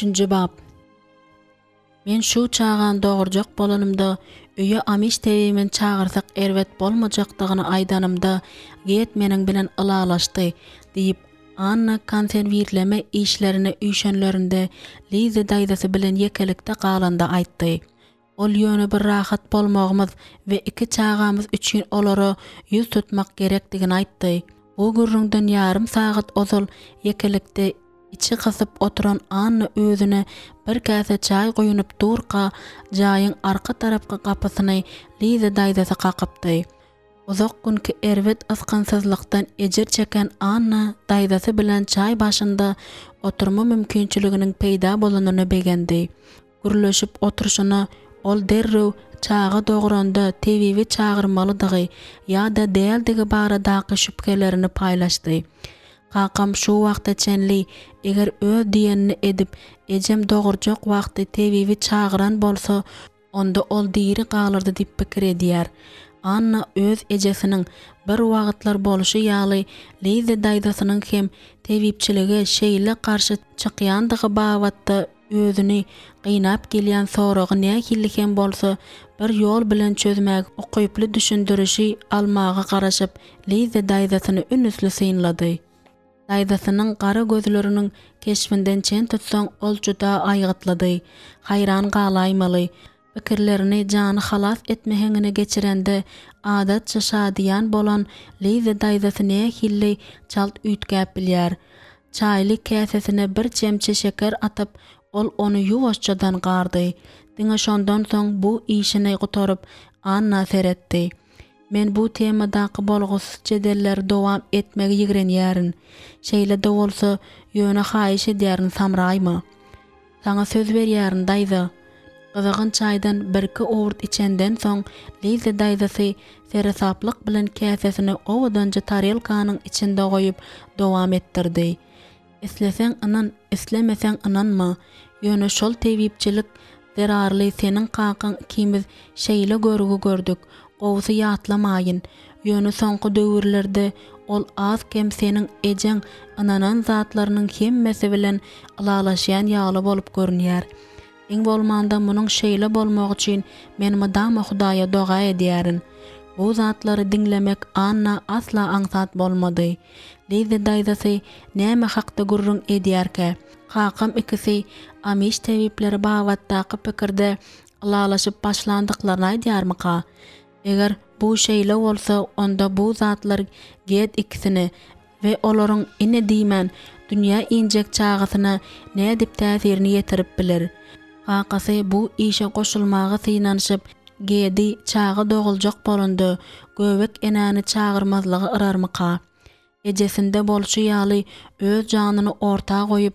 Üçünji bap. Men şu çagany dogurjak bolanymda, öýe Amiş tebibini çagyrsak erbet bolmajakdygyny aýdanymda, Get meniň bilen ylalaşdy, diýip, Anna konserwirleme işlerine üýşenlerinde Liza daýzasy bilen ýekelikde galanda aýtdy. Ol ýöne bir rahat bolmagymyz we iki çagamyz üçin olara ýüz tutmak gerekdigini aýtdy. Bu gürrüňden ýarym sagat ozal ýekelikde içi gysyp oturan Anna özüne bir käse çaý guýunyp durka, jaýyň arka tarapky gapysyny Liza daýzasy kakypdy. Uzak günki erbet ysgynsyzlykdan ejir çeken Anna daýzasy bilen çaý başynda oturma mümkinçiliginiň peýda bolanyna begendi. Gürleşip oturyşyna ol derrew çaga dogranda tebibi çagyrmalydygy ýa-da däldigi baradaky şübhelerini paýlaşdy. Kakam şu wagta çenli eger öz diýenini edip, ejem dogurjak wagty tebibi çagyran bolsa, onda ol diri galardy diýip pikir edýär. Anna öz ejesiniň bir wagtlar bolşy ýaly Liza daýzasynyň hem tebipçilige şeýle garşy çykýandygy babatda özüni gynap gelýän soragy nähili hem bolsa bir ýol bilen çözmäge ukyply düşündirişi almaga garaşyp Liza daýzasyny ünüsli synlady. Daýzasynyň gara gözleriniň keşbinden çen tutsaň ol juda aýgytlydy. Haýran galaýmaly. Pikirlerini jany halas etme heňine geçirende adatça şadyýan bolan Liza daýzasy nähilli çalt üýtgäp bilýär. Çaýly käsesine bir çemçe şeker atyp, ol ony ýuwaşjadan gardy. Diňe şondan soň bu işini gutaryp, Anna seretdi. Men bu temadaky bolgusyz jedelleri dowam etmegi ýigrenýärin. Şeýle-de bolsa, ýöne haýyş edýärin, samraýma. Saňa söz berýärin, daýza. Gyzgyn çaýdan birki owurt içenden soň, Liza daýzasy seresaplyk bilen käsesini owadanja tarelkanyň içinde goýup, dowam etdirdi. Isleseň ynan, islemeseň ynanma, ýöne şol tebipçilik zerarly seniň kakaň ikimiz şeýle görgi gördük, gowusy ýatlamaýyn. Ýöne soňky döwürlerde ol az-kem seniň ejeň ynanan zatlarynyň hemmesi bilen ylalaşýan ýaly bolup görünýär. Iň bolmanda munuň şeýle bolmagy üçin men mydama Hudaýa doga edýärin. Bu zatlary diňlemek Anna asla aňsat bolmady. Liza daýzasy näme hakda gürrüň edýärkä? Kakam ikisi Amiş tebipleri babatdaky pikirde ylalaşyp başlandyklaryny aýdýarmyka? Eger bu şeýle bolsa, onda bu zatlar Ged ikisine we olaryň ine diýmän dünýä injek çagasyna nädip täsirini ýetirip biler? Kakasy bu işe goşulmaga synanyşyp, Gedi çaga doguljak bolanda, göbek enäni çagyrmazlyga yrarmyka? Ejesinde bolşy ýaly öz janyny orta goýup,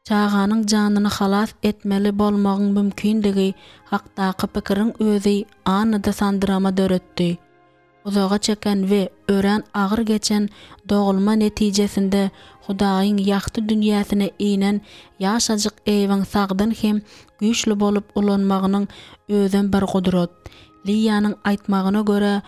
Çaganyň janyny halas etmeli bolmagyň mümkindigi hakdaky pikiriň özi Annada sandyrama döretdi. Uzaga çeken we örän agyr geçen dogulma netijesinde Hudaýyň ýagty dünýäsine inen ýaşajyk Eýwiň sagdyn hem güýçli bolup ulanmagynyň özem bir gudrat. Liýanyň aýtmagyna görä,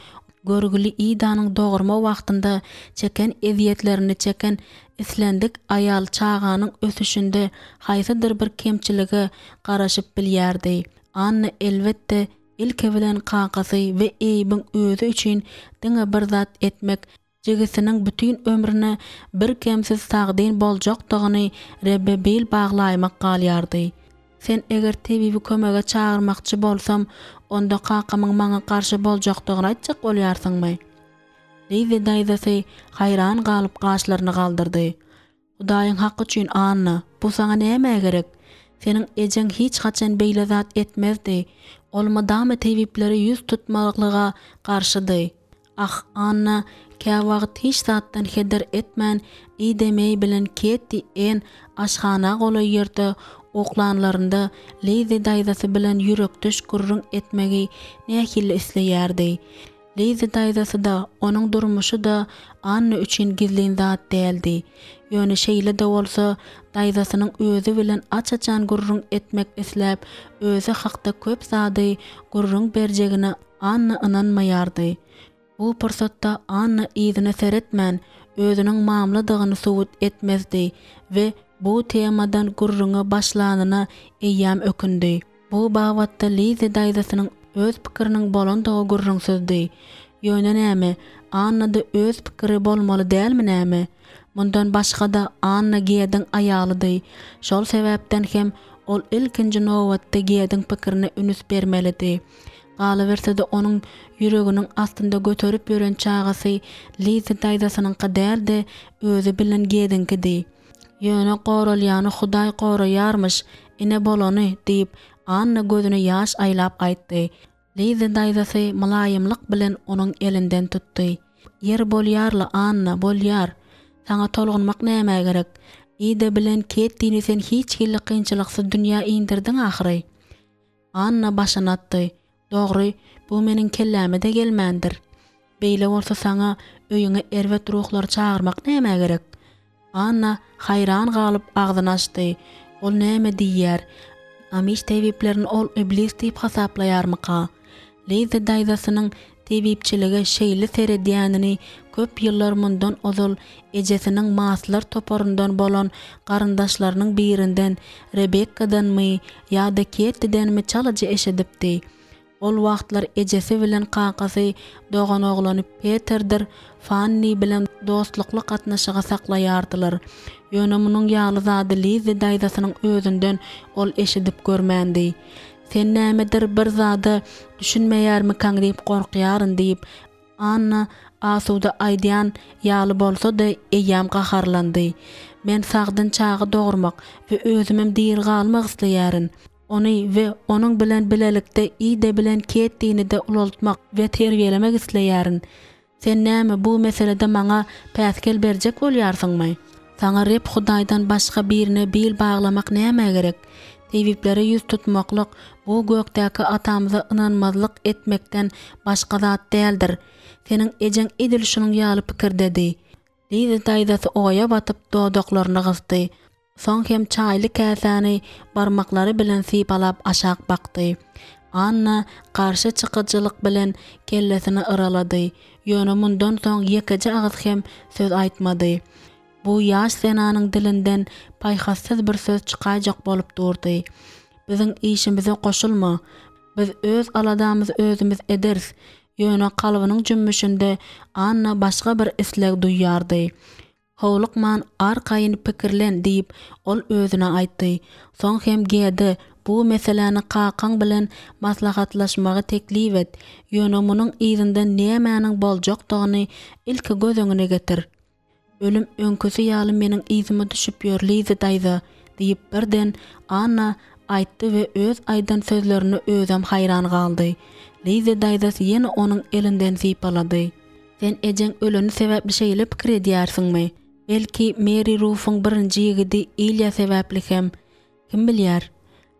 görgüli Idanyň dogurma wagtynda çeken ezýetlerini çeken Islendik aýal çaganyň ösüşinde haýsydyr bir kemçilige garaşyp bilýärdi. Anna elbetde, ilki bilen kakasy we Eýbiň özi üçin diňe bir zat etmek, jigisiniň bütin ömrüne birkemsiz sagdyn boljakdygyny Rebbe bil baglaýmak galýardy. Sen eger tebibi kömege çagyrmakçy bolsam, onda kakamyň maňa garşy boljakdygyny aýtjak bolýarsyňmy? Liza daýzasy haýran galyp gaşlaryny galdyrdy. Hudaýyň haky üçin, Anna, bu saňa nämä gerek? Seniň ejeň hiç haçan beýle zat etmezdi. Ol mydama tebiplere ýüz tutmaklyga garşydy. Ah, Anna käwagt hiç zatdan heder etmän Ida Meý bilen Ketti Enn aşhana golaý ýerde uklanlarynda Liza daýzasy bilen ýürekdeş gürrüň etmegi nähili isleýärdi. Liza daýzasy-da, onuň durmuşy-da Anna üçin gizlin zat däldi. Ýöne şeýle-de bolsa, daýzasynyň özi bilen aç-açan gürrüň etmek isläp, özi hakda köp zady gürrüň berjegine Anna ynanmaýardy. Bu pursatda Anna yzyna seretmän, özüniň mamladygyny subut etmezdi we. bu temadan gürrüňe başlanyna eýýäm ökündi. Bu babatda Lizzi daýzasynyň öz pikiriniň bolandygy gürrüňsizdi. Ýöne näme, Annada öz pikiri bolmaly dälmi näme? Mundan başga-da Anna Gediň aýalydy. Şol sebäpden hem ol ilkinji nobatda Gediň pikirine ünüs bermelidi. Galyberse-de onuň ýüreginiň astynda göterip ýören çagasy Lizzi daýzasynyňky däl-de, özi bilen Gediňkidi. Ýöne goralýany Hudaý goraýarmyş, ine bolany, diýip, Anna gözüne ýaş aýlap aýtdy. Lizzi daýzasy mylaýymlyk bilen onuň elinden tutdy. Ýeri bolýar-la, Anna, bolýar. Saňa tolgunmak nämä gerek? Ida bilen Kettini sen hiç hili kynçylyksyz dünýä indirdiň ahyry. Anna başyny atdy. Dogry, bu meniň kelläme-de gelmändir. Beýle bolsa saňa öýüňe erbet ruhlary çagyrmak nämä gerek? Anna haýran galyp agzyny açdy. Ol näme diýýär? Amiş tebiplerini ol iblis diýip hasaplaýarmyka? Liza daýzasynyň tebipçilige şeýle seredýänini köp ýyllar mundan ozal ejesiniň maslar toparyndan bolan garyndaşlarynyň birinden, Rebekkadanmy ýa-da Kettidenmi çalaja eşidipdi. Ol wagtlar ejesi bilen kakasy doganoglany Peterdir Fanni bilen dostlukly gatnaşygy saklaýardylar. Ýöne munuň ýaly zady Lizzi daýzasynyň özünden ol eşidip görmändi. Sen nämedir bir zada düşünmeýärmikaň diýip gorkýaryn diýip, Anna asuda aýdýan ýaly bolsa-da, eýýäm gaharlandy. Men sagdyn çaga dogurmak we özümem diri galmak isleýärin. Ony we onuň bilen bilelikde Ida bilen Kettini-de ulaltmak we terbiýelemek isleýärin. Sen näme bu meselede maňa päsgel berjek bolýarsyňmy? Saňa Reb Hudaýdan başga birine bil baglamak nämä gerek? Tebiplere ýüz tutmaklyk, bu gökdäki Atamyza ynanmazlyk etmekden başga zat däldir. Seniň ejeň edil şunuň ýaly pikirdedi. Liza daýzasy oýa batyp dodaklaryny gysdy. Soň hem çaýly käsäni barmaklary bilen sypalap aşak bakdy. Anna garşy çykyjylyk bilen kellesini yralady, ýöne mundan soň ýekeje agyz hem söz aýtmady. Bu ýaş zenanyň dilinden paýhassyz bir söz çykaýjak bolup durdy. Biziň işimize goşulma. Biz öz aladamyzy özümiz ederis. Ýöne kalbynyň jümmüşinde Anna başga bir isleg duýýardy. Howlukman, arkaýyn pikirlen diýip, ol özüne aýtdy. Soň hem Gede bu meseläni kakaň bilen maslahatlaşmagy teklip et, ýöne munuň yzynda nämäniň boljakdygyny ilki göz öňüne getir. Ölüm öňküsi ýaly meniň yzyma düşüp ýör, Liza daýza, diýip, birden Anna aýtdy we öz aýdan sözlerine özem haýran galdy. Liza daýzasy ýene onuň elinden sypalady. Sen ejeň öleni sebäpli şeýle pikir edýärsiňmi? Belki, Meri Rufuň birinji ýigidi Ilýa sebäpli hem? Kim bilýär?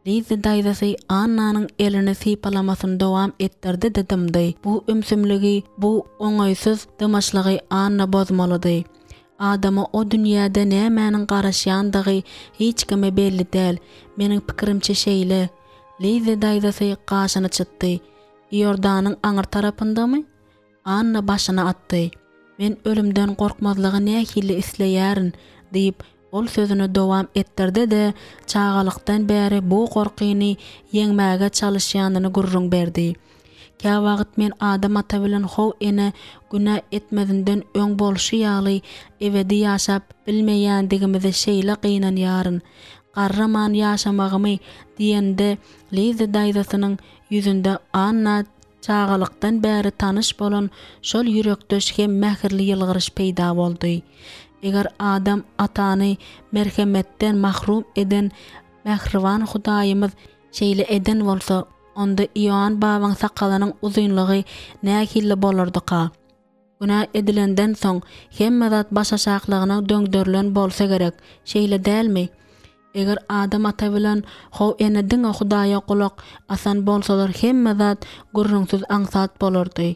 Lizzi daýzasy Annanyň elini sypalamasyny dowam etdirdi-de dymdy. Bu ümsümligi, bu oňaýsyz dymyşlygy Anna bozmalydy. Adama o dünýäde nämäniň garaşýandygy hiç kime belli däl. Meniň pikirimçe şeýle. Lizzi daýzasy gaşyny çytdy. Iordanyň aňry tarapyndamy? Anna başyny atdy. Men ölümden gorkmazlygy nähili isleýärin, diýip, ol sözüni dowam etdirdi-de, çagalykdan bäri bu gorkyny ýeňmäge çalyşýanyny gürrüň berdi. Käwagt men Adam ata bilen How ene günä etmezinden öň bolşy ýaly ebedi ýaşap bilmeýändigimize şeýle gynanýaryn. Garraman ýaşamagymy diýende Lizzi daýzasynyň ýüzünde Anna Çagalykdan bäri tanyş bolan şol ýürekdeş hem mähirli ýylgyryş peýda boldy. Eger Adam atany merhemetden mahrum eden mähriban Hudaýymyz şeýle eden bolsa, onda Ioann babaň sakalynyň uzynlygy nähili bolardyka? Günä edilenden soň, hemme zat başaşaklygyna döňderilen bolsa gerek, şeýle dälmi? Eger Adam ata bilen How ene diňe Hudaýa gulak asan bolsalar hemme zat gürrüňsiz aňsat bolardy.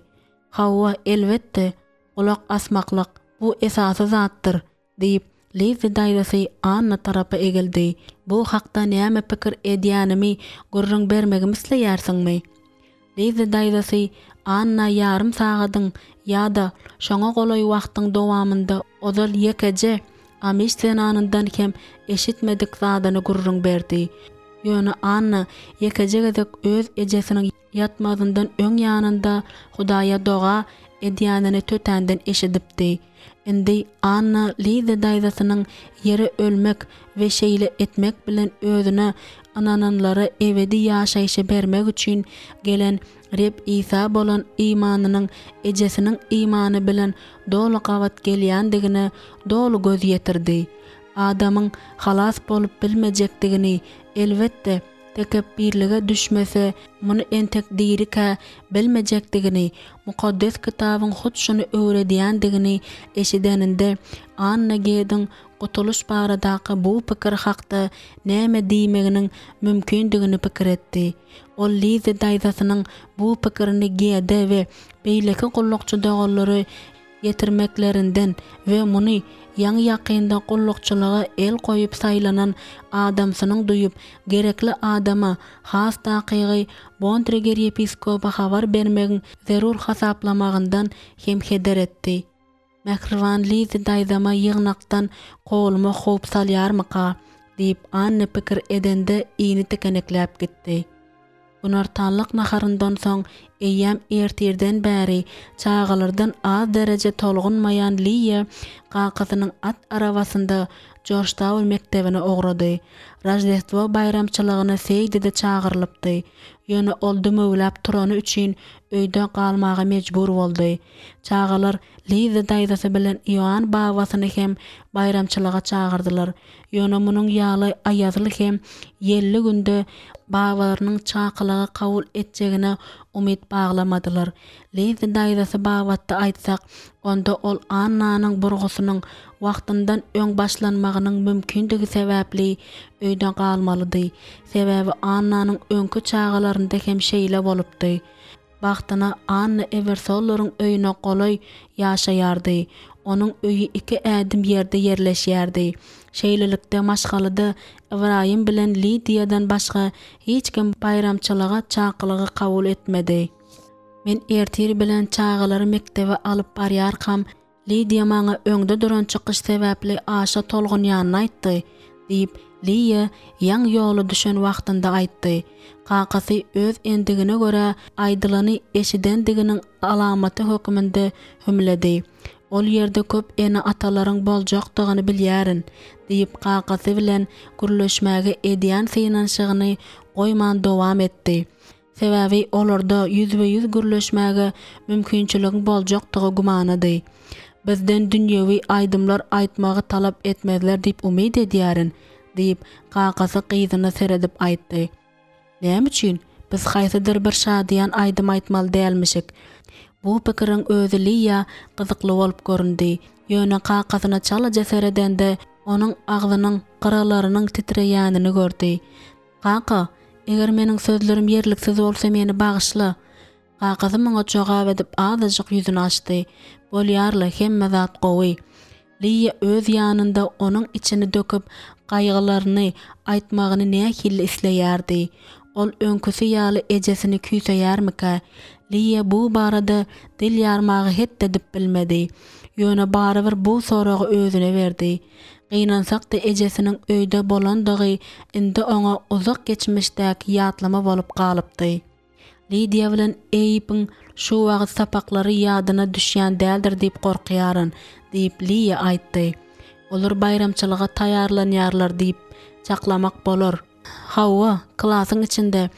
Hawa, elbetde, gulak asmaklyk, bu esasy zatdyr. Diýip, Lizzi daýzasy Anna tarapa egildi. Bu hakda näme pikir edýänimi gürrüň bermegimi isleýärsiňmi? Lizzi daýzasy Anna ýarym sagadyň ýa-da şoňa golaý wagtyň dowamynda ozal ýekeje. Amiş zenanyndan hem eşitmedik zadyny gürrüň berdi. Ýöne Anna ýekeje gezek öz ejesiniň ýatmazyndan öň ýanynda Hudaýa doga edýänini tötänden eşidipdi. Indi Anna Liza daýzasynyň ýere ölmek we şeýle etmek bilen özüne ynananlara ebedi ýaşaýşy bermek üçin gelen Reb Isa bolan imanynyň ejesiniň imany bilen doly gabat gelýändigine doly göz ýetirdi. Adamyň halas bolup bilmejekdigini, elbetde, tekepbirlige düşmese, muny entek dirikä bilmejekdigini, Mukaddes Kitabyň hut şuny öwredýändigini eşideninde, Anna Gediň gutulyş baradaky bu pikir hakda näme diýmeginiň mümkindigini pikir etdi. Ol Lizi daýzasynyň bu pikirini Gede we beýleki gullukçy doganlara ýetirmeklerinden we muny ýaňy-ýakynda gullukçylyga el goýup saýlanan adamsynyň duýup, gerekli adama, has takygy, Bontreger ýepiskopa habar bermegiň zerur hasaplamagyndan hem heder etdi. Mähriban Lizi daýzama ýygnakdan kowulma howp salýarmyka? diýip, Anna pikir edende ini tikenekläp gitdi. Günortanlyk naharyndan soň eýýäm ertirden bäri çagalardan az dereje tolgunmaýan Liýa kakasynyň at arabasynda Jorjtaun mekdebine ugrady. Roždestwo baýramçylygyna Seýdi-de çagyrylypdy. Ýöne ol dümewläp turany üçin öýde galmaga mejbur boldy. Çagalar Liza daýzasy bilen Ioann babasyny hem baýramçylyga çagyrdylar. Ýöne munuň ýaly aýazly hem ýelli günde babalarynyň çakylygy kabul etjegine umyt baglamadylar. Liza daýzasy babatda aýtsak, onda ol Annanyň burgusynyň wagtyndan öň başlanmagynyň mümkindigi sebäpli öýde galmalydy. Sebäbi Annanyň öňki çagalarynda hem şeýle bolupdy. Bagtyna Anna Ewersollaryň öýüne golaý ýaşaýardy. Onuň öýi iki ädim ýerde ýerleşýärdi. Şeýlelikde, maşgalada Ybraýym bilen Lidiýadan başga hiç kim baýramçylyga çakylygy kabul etmedi. Men ertir bilen çagalary mekdebe alyp barýarkam, Lidiýa maňa öňde duran çykyş sebäpli aşa tolgunýanyny aýtdy, diýip, Liýa ýaňy ýola düşen wagtynda aýtdy. Kakasy öz endigine görä aýdylany eşidendiginiň alamaty hökmünde hümledi. Ol ýerde köp ene-atalaryň boljakdygyny bilýärin, diýip, kakasy bilen gürleşmäge edýän synanyşygyny goýman dowam etdi. Sebäbi olarda ýüzbe-ýüz gürleşmäge mümkinçiligiň boljakdygy gümanady. Bizden dünýewi aýdymlar aýtmagy talap etmezler diýip umyt edýärin, diýip, kakasy gyzyna seredip aýtdy. Näme üçin biz haýsydyr bir şadyýan aýdym aýtmaly dälmişik? Bu pikiriň özi Liýa gyzykly bolup göründi. Ýöne kakasyna çalaja seredende, onuň agzynyň gyralarynyň titreýänini gördi. Kaka, eger meniň sözlerim ýerliksiz bolsa meni bagyşla. Kakasy muňa jogap edip azajyk ýüzüni açdy. Bolýarla, hemme zat gowy. Liýa öz ýanynda onuň içini döküp gaýgylaryny aýtmagyny nähili isleýärdi. Ol öňküsi ýaly ejesini küýseýärmikä? Liýa bu barada dil ýarmaga het edip bilmedi. Ýöne barybir bu soragy özüne berdi. Gynansak-da ejesiniň öýde bolandygy indi oňa uzak geçmişdäki ýatlama bolup galypdy. Lidiýa bilen Eýbiň şu wagt sapaklary ýadyna düşýän däldir diýip gorkýaryn, diýip, Liýa aýtdy. Olar baýramçylyga taýýarlanýarlar diýip çaklamak bolar. Hawa, klasyň içinde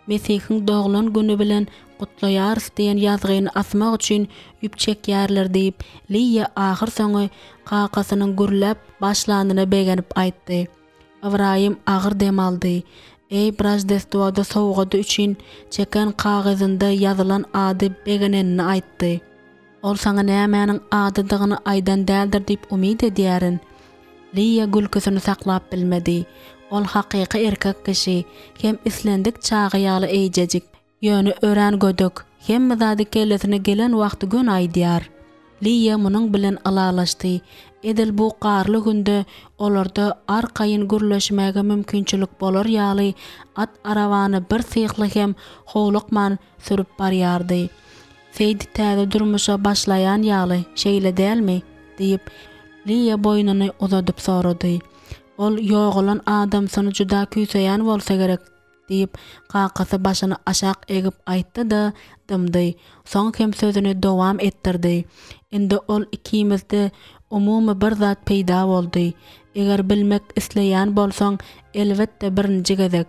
Mesihiň doglan güni bilen gutlaýarys diýen ýazgyny asmak üçin ýüp çekýärler diýip, Liýa ahyrsoňy kakasynyň gürläp başlanyna begenip aýtdy. Ybraýym agyr dem aldy. Eýb Roždestwoda sowgady üçin çeken kagyzynda ýazylan ady begenenini aýtdy. Ol saňa nämäniň adydygyny aýdan däldir diýip umyt edýärin. Liýa gülküsini saklap bilmedi. Ol hakyky erkek kişi, hem islendik çaga ýaly eýjejik. Ýöne örän gödek, hemme zady kellesine gelen wagty göni aýdýar. Liýa munuň bilen ylalaşdy. Edil bu garly günde olarda arkaýyn gürleşmäge mümkinçilik bolar ýaly at arabany birsyhly hem howlukman sürüp barýardy. Seýdi täze durmuşa başlaýan ýaly, şeýle dälmi? diýip, Liýa boýnuny uzadyp sorady. Ol ýogalan adamsyny juda küýseýän bolsa gerek, diýip, kakasy başyny aşak egip aýtdy-da, dymdy. Soň hem sözüni dowam etdirdi. Indi ol ikimizde umumy bir zat peýda boldy. Eger bilmek isleýän bolsaň, elbetde birinji gezek.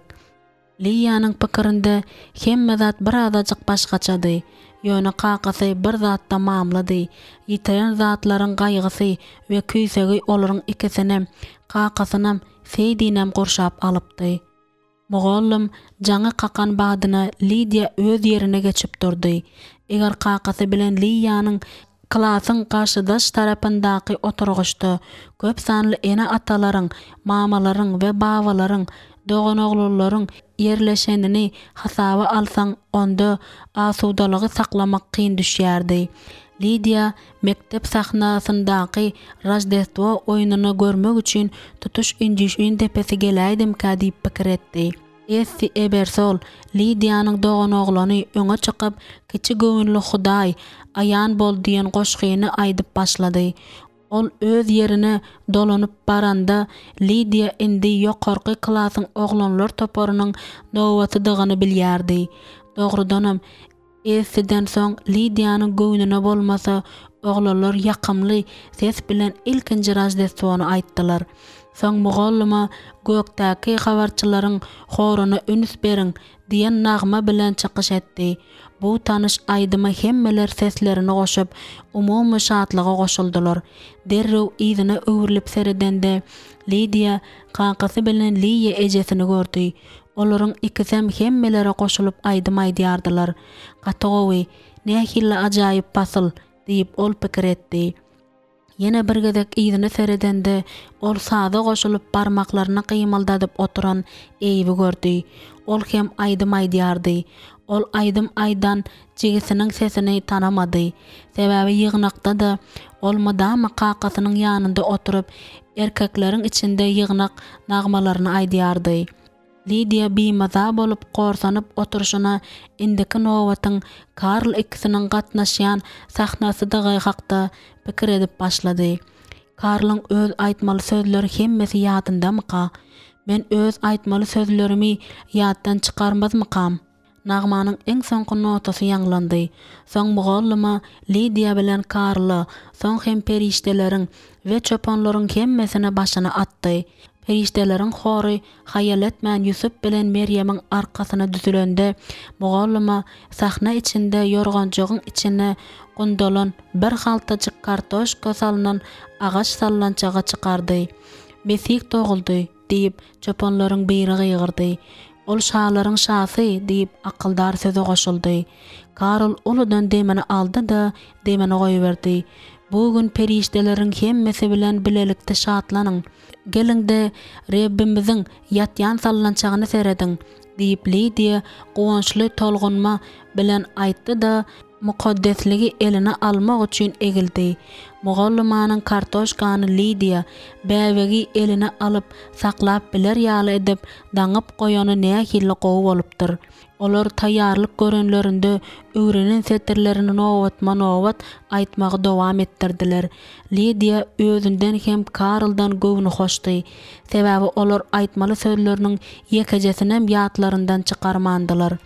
Liýanyň pikirinde hemme zat birazajyk başgaçady. Ýöne kakasy bir zatda mamlady, ýitiren zatlaryň gaýgysy we küýsegi olaryň ikisinem, kakasynam, Seýdinem gurşap alypdy. Mugallym jaňy kakan badyna Lidiýa öz ýerine geçip durdy. Eger kakasy bilen Liýanyň klasyň garşydaş tarapyndaky oturgyçda köp sanly ene-atalaryň, mamalaryň we babalaryň, doganoglanlaryň ýerleşenini hasaba alsaň, onda asudalygy saklamak kyn düşýärdi. Lidiýa mekdep sahnasyndaky Roždestwo oýnuny görmek üçin tutuş Injişin depesi geläýdimkä diýip pikir etdi. Essi Ebersol, Lidiýanyň doganoglany öňe çykyp, Kiçi göwünli Hudaý, aýan bol diýen goşgyny aýdyp başlady. Ol öz ýerine dolanyp baranda, Lidiýa indi ýokarky klasyň oglanlar toparynyň nobatydygyny bilýärdi. Dogrudanam, Essiden soň Lidiýanyň göwnüne bolmasa, oglanlar ýakymly ses bilen ilkinji Roždestwony aýtdylar. Soň mugallyma Gökdäki habarçylaryň horuna üns beriň diýen nagma bilen çykyş etdi. Bu tanyş aýdyma hemmeler seslerini goşup, umumy şatlyga goşuldylar. Derrew yzyna öwrülip seredende, Lidiýa kakasy bilen Liýa ejesini gördi. Olaryň ikisem hemmelere goşulyp aýdym aýdýardylar. Gaty gowy, nähili ajaýyp pasyl! diýip, ol pikir etdi. Ýene bir gezek yzyna seredende, ol saza goşulyp barmaklaryny gymyldadyp oturan Eýbi gördi. Ol hem aýdym aýdýardy. Ol aýdym aýdan jigisiniň sesini tanamady. Sebäbi ýygnakda-da ol mydama kakasynyň ýanynda oturyp, erkekleriň içinde ýygnak nagmalaryny aýdýardy. Lidiýa bimaza bolup gorsanyp oturyşyna indiki nobatyň Karl ikisiniň gatnaşýan sahnasydygy hakda pikir edip başlady. Karlyň öz aýtmaly sözleri hemmesi ýadyndamyka? Men öz aýtmaly sözlerimi ýatdan çykarmazmykam? Nagmanyň iň soňky notasy ýaňlandy. Soň mugallyma Lidiýa bilen Karla, soň hem perişdeleriň we çopanlaryň hemmesine başyny atdy. Perişdeleriň hory haýal etmän Ýusup bilen Merýemiň arkasyna düzülende, mugallyma sahna içinde ýorganjygyň içine gundalan bir haltajyk kartoşka salnan agaç sallançagy çykardy. Mesih doguldy! Diýip, çopanlaryň biri gygyrdy. Ol şalaryň şasy! diýip, akyldar söze goşuldy. Karl uludan demini aldy-da, demini goýberdi. Bu gün perişdeleriň hemmesi bilen bilelikde şatlanyň! Geliň-de, Rebbimiziň ýatýan sallançagyna serediň! diýip, Lidiýa guwançly tolgunma bilen aýtdy-da, Mukaddesligi eline almak üçin egildi. Mugallymanyň kartoşkany Lidiýa, bäbegi eline alyp, saklap biler ýaly edip, daňyp goýany nähili gowy bolupdyr. Olar taýýarlyk görenlerinde öwrenen setirlerini nobatma-nobat aýtmagy dowam etdirdiler. Lidiýa özünden hem Karldan göwnühoşdy. Sebäbi olar aýtmaly sözleriniň ýekejesinem ýatlaryndan çykarmandylar.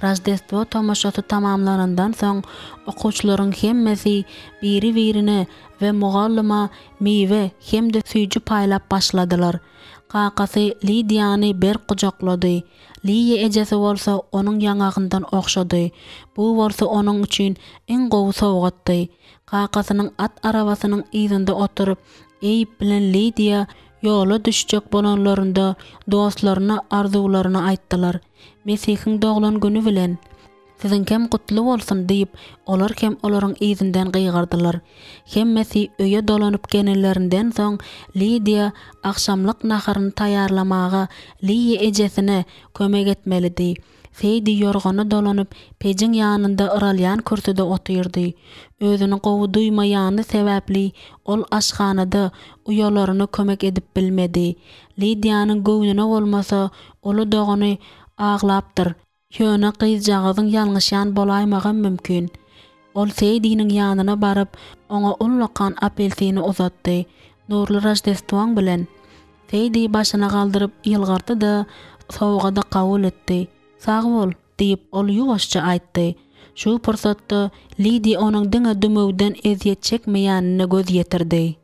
Roždestwo tomaşasy tamamlanandan soň, okuwçylaryň hemmesi biri-birine we mugallyma miwe hem-de süýji paýlap başladylar. Kakasy Lidiýany berk gujaklady. Liýa ejesi bolsa onuň ýaňagyndan ogşady. Bu bolsa onuň üçin iň gowy sowgatdy. Kakasynyň at arabasynyň yzynda oturyp, Eýb bilen Lidiýa ýola düşjek bolanlarynda dostlaryna arzuwlaryny aýtdylar. Mesihiň doglan güni bilen! Siziňkem gutly bolsun! diýip, olar hem olaryň yzyndan gygyrdylar. Hemmesi öýe dolanyp gelenlerinden soň, Lidiýa agşamlyk naharyny taýýarlamaga Liýa ejesine kömek etmelidi. Seýdi ýorgana dolanyp, pejiň ýanynda yralýan kürsüde otyrdy. Özüni gowy duýmaýany sebäpli ol aşhanada uýalaryna kömek edip bilmedi. Lidiýanyň göwnüne bolmasa, uly dogany aglapdyr. Ýöne gyzjagazyň ýalňyşýan bolaýmagam mümkin. Ol Seýdiniň ýanyna baryp, oňa ullakan apelsini uzatdy. Nurly Roždestwoň bilen! Seýdi başyny galdyryp ýylgyrdy-da, sowgady kabul etdi. Sag bol! diýip, ol ýuwaşja aýtdy. Şu pursatda Lidi onuň diňe dümewden ezýet çekmeýänine göz ýetirdi.